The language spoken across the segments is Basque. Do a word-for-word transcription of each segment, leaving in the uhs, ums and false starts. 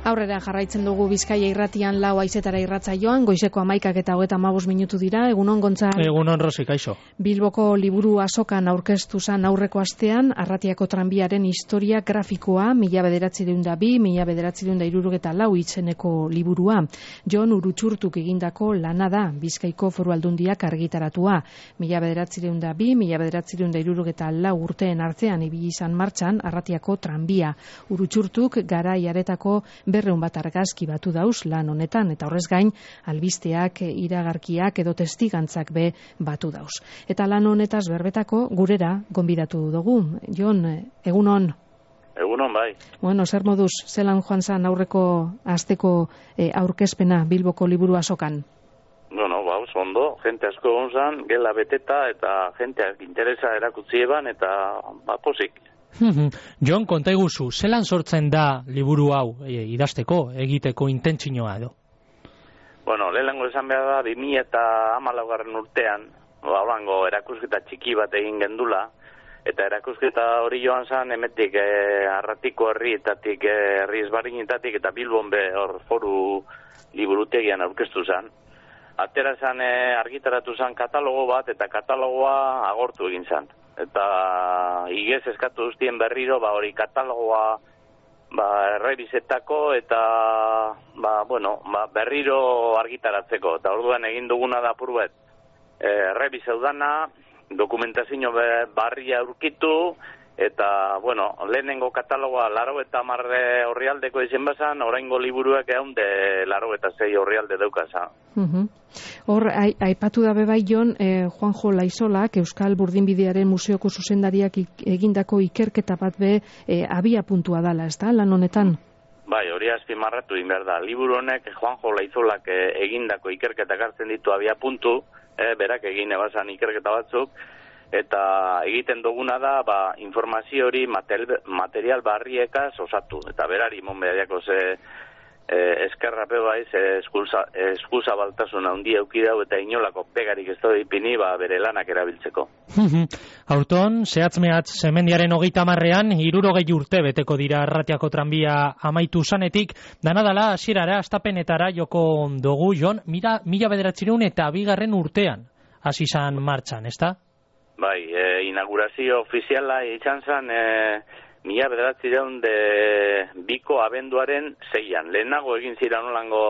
Aurrera jarraitzen dugu Bizkaia irratian lau haizetara irratsaioan, goizeko hamaikak eta hogeita hamabost minutu dira. Egunon, Gontzal? Egunon, Rosi, kaixo. Bilboko liburu azokan aurkeztu zan aurreko astean, Arratiako tranbiaren historia grafikoa, mila bederatziehun eta bi, mila bederatziehun eta hirurogeita lau itzeneko liburua. Jon Urutxurtuk egindako lana da, Bizkaiko Foru Aldundiak argitaratua. Mila bederatziehun eta bi, mila bederatziehun eta hirurogeita lau urteen artean ibili izan martxan Arratiako tranbia. Urutxurtuk garai haretako berreun bat argazki batu dauz lan honetan, eta horrez gain, albisteak, iragarkiak edo testigantzak be batu dauz. Eta lan honetaz berbetako gurera gonbidatu dugu. Jon, egunon? Egunon, bai. Bueno, zer moduz, zelan joan zan aurreko asteko e, aurkezpena Bilboko liburu azokan? Bueno, ba, ondo, jente asko egon zan, gela beteta eta jenteak interesa erakutzi eban, eta ba, posik. Jon, konta iguzu, zelan sortzen da liburu hau e, idazteko, egiteko intentzinoa edo? Bueno, lehenengo esan behar da, bi mila eta hamalaugarren urtean, ba, horango erakusketa txiki bat egin gendula, eta erakusketa hori joan zan, emetik e, Arratiko herrietatik, e, herri ezberdinetatik, eta Bilbon be hor foru liburutegian aurkeztu zan. Atera zan, e, argitaratu zan katalogo bat, eta katalogoa agortu egin zan. Eta igez eskatu duztien berriro, ba hori katalogoa ba errebizetako eta ba bueno, ba berriro argitaratzeko. Eta orduan egin duguna da apur bat. Eh errebizeudana, dokumentazio barria aurkitu eta bueno, lehenengo katalogoa laurogeita hamar orrialdeko izen bazan, oraingo liburuak ehunde laurogeita sei orrialde daukasa. Mhm. Hor, aipatu da bebai Jon, eh, Juanjo Laizolak, Euskal Burdinbidearen Museoko zuzendariak egindako ikerketa bat be eh, abia puntua dala, ez da, lan honetan? Bai, hori azpimarratu egin behar da. Liburu honek Juanjo Laizolak eh, egindako ikerketak hartzen ditu abia puntu, eh, berak egin ebazan ikerketa batzuk, eta egiten duguna da, ba, informazio hori material, material barriekaz osatu, eta berari mon behariako ze Eh, eskerrape baiz, eskuza baltasuna handia eukidau eta inolako pegarik ez da ipini ba, bere lanak erabiltzeko. Aurton, zehatz-mehatz zemendiaren hogeita hamarrean, hirurogei urte beteko dira Arratiako tranbia amaitu zanetik, danadala hasierara astapenetara joko dugu, Jon, mira, mila bederatziehun eta bigarren urtean hasi zan martxan, ezta? Bai, e, inaugurazio ofiziala izan zan, e, mila bederatziehun de biko abenduaren zeian. Lehenago egin ziren olango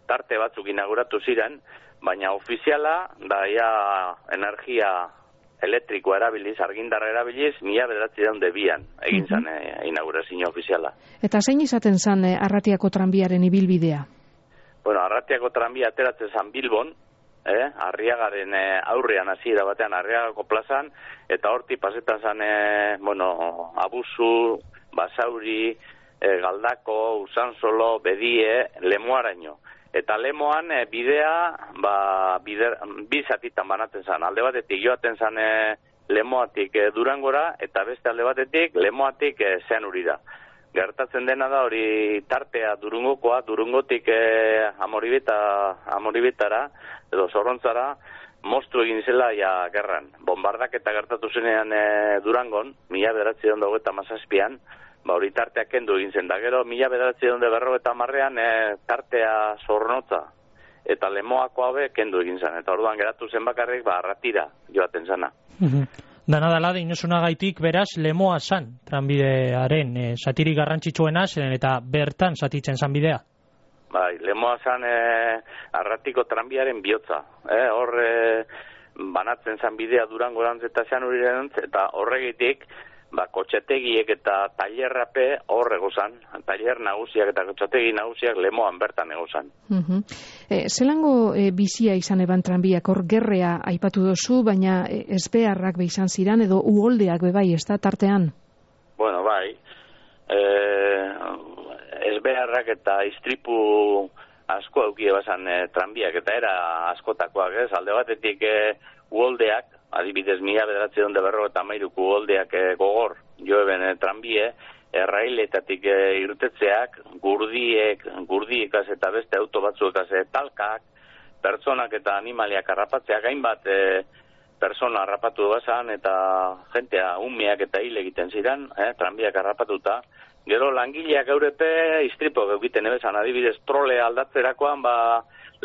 tarte batzuk inauguratu ziren, baina ofiziala, da ja energia elektrikoa erabiliz, argindarra erabiliz, mila bederatziehun de bian egin zan e, inaugurazio ofiziala. Eta zein izaten zan e, Arratiako tranbiaren ibilbidea? Bueno, Arratiako tranbia ateratzen zan Bilbon, Eh, Arriagaren eh, aurrean hasiera batean Arriagako plazan, eta horti pasetan zan, eh, bueno, Abusu, Basauri, eh, Galdako, Usansolo, Bedie, Lemoaraino. Eta Lemoan eh, bidea, ba, bider, bizatitan banatzen zan. Alde batetik joaten zan eh, Lemoatik eh, Durangora, eta beste alde batetik Lemoatik eh, Zeanurira. Gertatzen dena da hori tartea Durungokoa, Durungotik eh, amoribeta, amoribetara, edo zorrontzara, moztu egin zela ja gerran. Bombardaketa gertatu zenean e, Durangon, mila bederatziehun eta hogeita hamazazpian, ba hori tartea kendu egin zen. Da gero, mila bederatziehun eta berrogeita hamarrean e, tartea zornotza eta Lemoako haue kendu egin zen. Eta orduan geratu zen bakarrik, ba Arratira joaten zana. Danadala dinosunagaitik beraz Lemoa zan, tranbidearen e, satirik garrantzitsuena zen eta bertan zatitzen zan bidea. Bai, Lemoa zan e, Arratiko tranbiaren bihotza. E, hor e, banatzen zan bidea Durango erantz eta Zeanuriren, eta horregitik ba, kotxetegiek eta tailerrape hor egozan. Tailer nagusiak eta kotxetegi nagusiak Lemoan bertan egozan. Uh-huh. E, zelango e, bizia izan eban tranbiak, hor gerrea aipatu dozu, baina e, ezbeharrak be izan ziran, edo uholdeak be bai, ez da tartean? Bueno, bai. E, ezbeharrak eta istripu asko aukie bazan e, tranbiak, eta era askotakoak, ez? Alde batetik e, uholdeak, adibidez mila bederatziehun eta berrogeita hamairuko uholdeak e, gogor, joeben e, tranbie, errailetatik e, irtetzeak, gurdiek, gurdiekaz eta beste auto batzuekaz e, talkak, pertsonak eta animaliak harrapatzeak, hainbat e, persona harrapatu bazan, eta jentea umeak eta hil egiten ziren, eh, tranbiak harrapatuta, Gero langileak eurepe istripo egiten ebezan, adibidez trole aldatzerakoan, ba,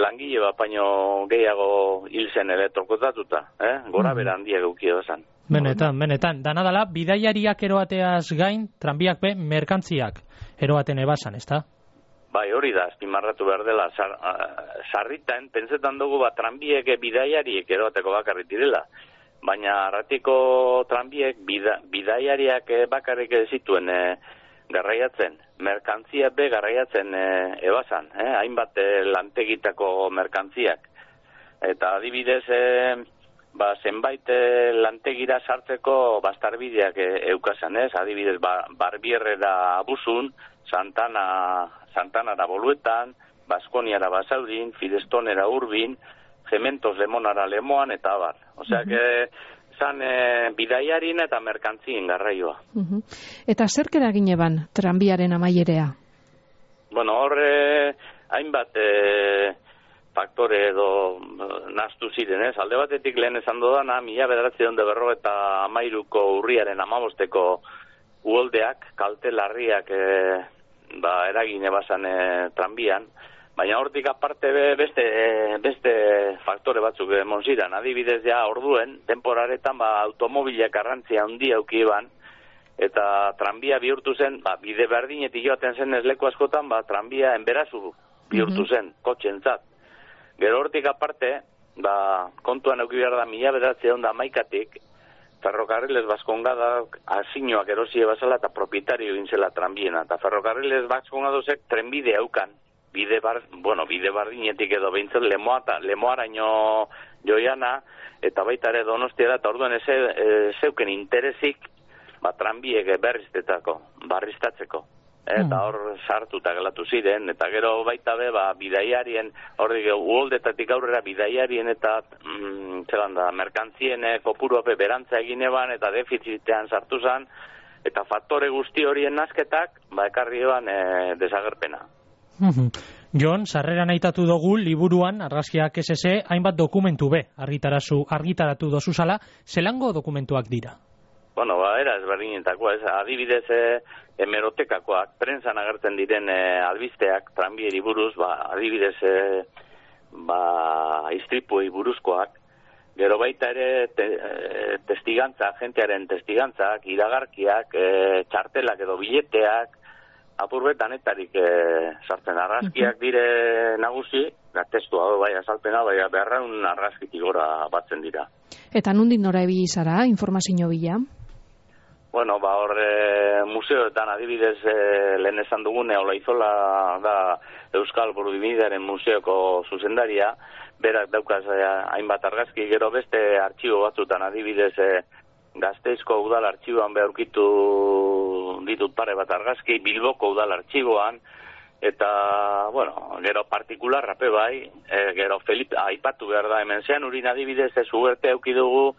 langile bat baino gehiago hil zen elektrokutatuta, eh? Gora bera handia geukia bezan. Benetan, benetan. Danadala, bidaiariak eroateaz gain, tranbiak be, merkantziak eroaten ebasan, ezta? Bai, hori da, azpimarratu behar dela. Sar, sarritan, pentsetan dugu, ba, tranbiek bidaiariek eroateko bakarrik direla. Baina arratiko tranbiek bida, bidaiariak bakarrik zituen e, garraiatzen. Merkantzia be garraiatzen e, ebasan, eh? Hainbat e, lantegitako merkantziak. Eta adibidez, e, ba, zenbait e, lantegira sartzeko bastarbideak e, eukasan, ez? Adibidez, ba, Barbierrera Abuzun, Santana, Santanara Boluetan, Baskoniara Basaurin, Firestonera Urbin, Cementos Lemonara Lemoan, eta abar. Osea, uh-huh. que zan e, bidaiarin eta merkantzien garraioa. Uh-huh. Eta zerk eragin eban tranbiaren amaierea? Bueno, hor, e, hainbat e, faktore edo nahastu ziren, ez? Alde batetik lehen esan dudana, mila bederatziehun eta berrogeita hamairuko urriaren hamabosteko uholdeak, kalte larriak e, ba, eragin ebasan e, tranbian, baina hortik aparte beste, beste faktore batzuk emon ziren. Adibidez ja orduen, temporaretan ba, automobilak garrantzia handia auki eban, eta tranbia bihurtu zen, ba, bide berdinetik joaten zen ez leku askotan, ba, tranbia enberazu bihurtu zen, mm-hmm. kotxentzat. Gero hortik aparte, ba, kontuan auki behar da mila bederatziehun eta hamaikatik, Ferrocarriles Baskongadak asinoak erosie bazala eta propietario gintzela tranbiena. Eta Ferrocarriles Baskongadosek trenbide haukan. Bide bar, bueno, bide bardinetik edo behintzen lemoa, lemoaraino joiana, eta baita ere Donostiara, eta orduan ez e, zeuken interesik, ba, tranbiek berriztetako, barriztatzeko. Eta hor sartuta gelatu ziren, eta gero baita be, ba, bidaiarien, hor dik, uholdetatik aurrera bidaiarien eta mm, zelan da, merkantzien kopuruape berantza egin eban, eta defizitean sartu zen, eta faktore guzti horien nazketak, ba, ekarri eban e, desagerpena. Jon, sarreran aitatu dugu liburuan, argazkiak S S, hainbat dokumentu be, argitarazu, argitaratu dozuzala, zelango dokumentuak dira? Bueno, ba, era ezberdinetakoa, ez, adibidez e, hemerotekakoak, prentsan agertzen diren e, albisteak, tranbieri buruz, ba, adibidez e, ba, istripuei buruzkoak, gero baita ere te, e, testigantza, jentearen testigantzak, iragarkiak, e, txartelak edo bileteak, apurbetanetarik e, sartzen argazkiak dire nagusi, da testua bai azalpena, bai beharraun argazkitik gora batzen dira. Eta nondik nora ebili zara, informazio bila? Bueno, ba hor e, museoetan adibidez e, lehen esan dugune, Olaizola da Euskal Burudimidearen museoko zuzendaria, berak daukaz e, hainbat argazki, gero beste artxibo batzutan adibidez e, Gasteizko udal artxiboan beharkitu ditut pare bat argazki, Bilboko udal artxiboan, eta, bueno, gero partikularrape bai, e, gero Felipe, aipatu behar da, hemen zean urin adibidez ez ugerte aukidugu,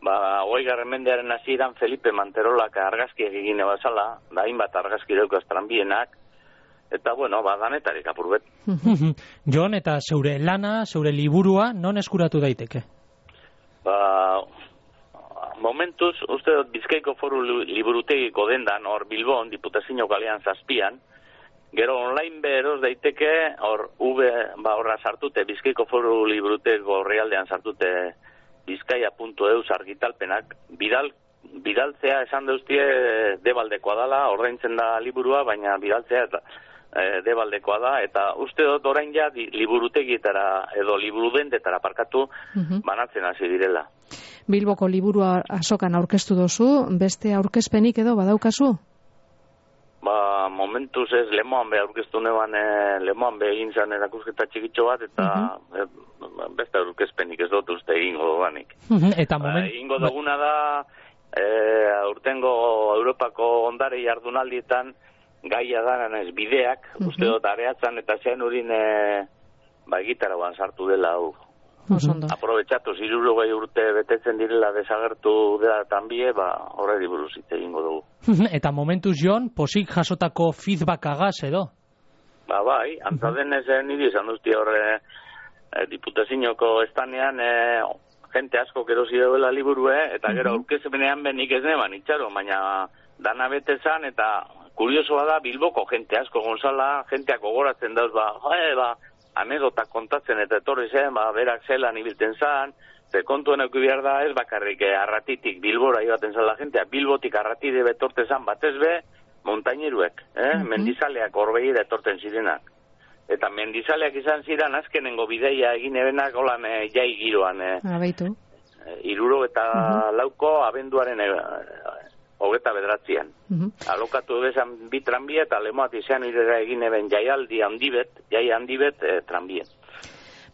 ba, hogeigarren mendearen hasieran Felipe Manterolak argazki egin ebazala, da hainbat argazki daukaz tranbienak, eta, bueno, ba, danetarik apurbet. Jon, eta zeure lana, zeure liburua, non eskuratu daiteke? Ba, momentuz, uste dut Bizkaiko Foru Liburutegiko dendan, hor Bilbon, Diputazio kalean zazpian, gero online beroz daiteke, hor V, ba, horra sartute, Bizkaiko Foru Liburutegiko realdean sartute bizkaia puntu eus argitalpenak, bidal, bidaltzea esan deustie debaldekoa dala, ordaintzen da liburua, baina bidaltzea eta e, debaldekoa da, eta uste dut orain ja liburutegietara edo liburudendetara parkatu uh-huh. banatzen hasi direla. Bilboko liburua azokan aurkeztu dozu, beste aurkezpenik edo badaukazu? Ba, momentuz ez Lemoan be aurkeztu neban, e, Lemoan be egin zan erakusketa txikitxo bat, eta uh-huh. e, beste aurkezpenik ez dut uste egingo duganik. Uh-huh. Eta moment... Ba, egingo duguna da, e, aurtengo Europako ondare jardunaldietan gaia dananez bideak, uh-huh. uste dut areatzan eta zean urin e, ba, gitaragoan sartu dela hau. Uh-huh. Aprobetxatu, zirurogei urte betetzen direla desagertu dela tanbie, ba, horreri buruz hitz egingo dugu. Eta momentuz, Jon, posik jasotako feedback agaz edo? Ba, bai, antzadenez uh-huh. niri izan duzti horre e, Diputazioko estanean e, jente asko erosi dela liburue, eta gero uh-huh. aurkezpenean benik ez neban, itxaro, baina dana bete zan, eta kuriosoa da Bilboko jente asko Gonzala, jenteak gogoratzen dauz, ba, joe, ba, anedotak kontatzen eta etorri zen, ba, berak zelan ibiltzen zan, ze kontuen euki behar da ez bakarrik eh, Arratitik Bilbora ibaten zan la jentea, Bilbotik Arratide betorte zan batez be, montaineruek, eh? Mm-hmm. Mendizaleak orbeira etorten zirenak. Eta mendizaleak izan ziren azkenengo bideia egin ebenak holan eh, jai giroan. Eh, Abaitu. Eh, iruro eta mm-hmm. lauko abenduaren eh, hogeta bedratzean. Mm-hmm. Alokatu bezan bi tranbia eta lemoat izan irera egin eben jaialdi handibet, jai handibet eh, tranbia.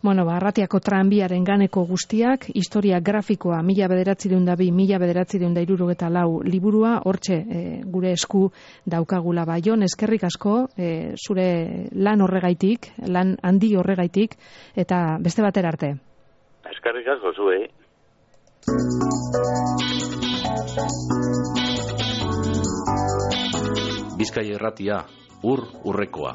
Bueno, ba, Arratiako tranbiaren ganeko guztiak, historia grafikoa mila bederatzireun da bi, mila bederatzireun da hirurogeta lau liburua, hortxe e, gure esku daukagula ba. Jon, eskerrik asko, e, zure lan horregaitik, lan handi horregaitik, eta beste batera arte. Eskerrik asko zuei. Bizkai Irratia, ur urrekoa.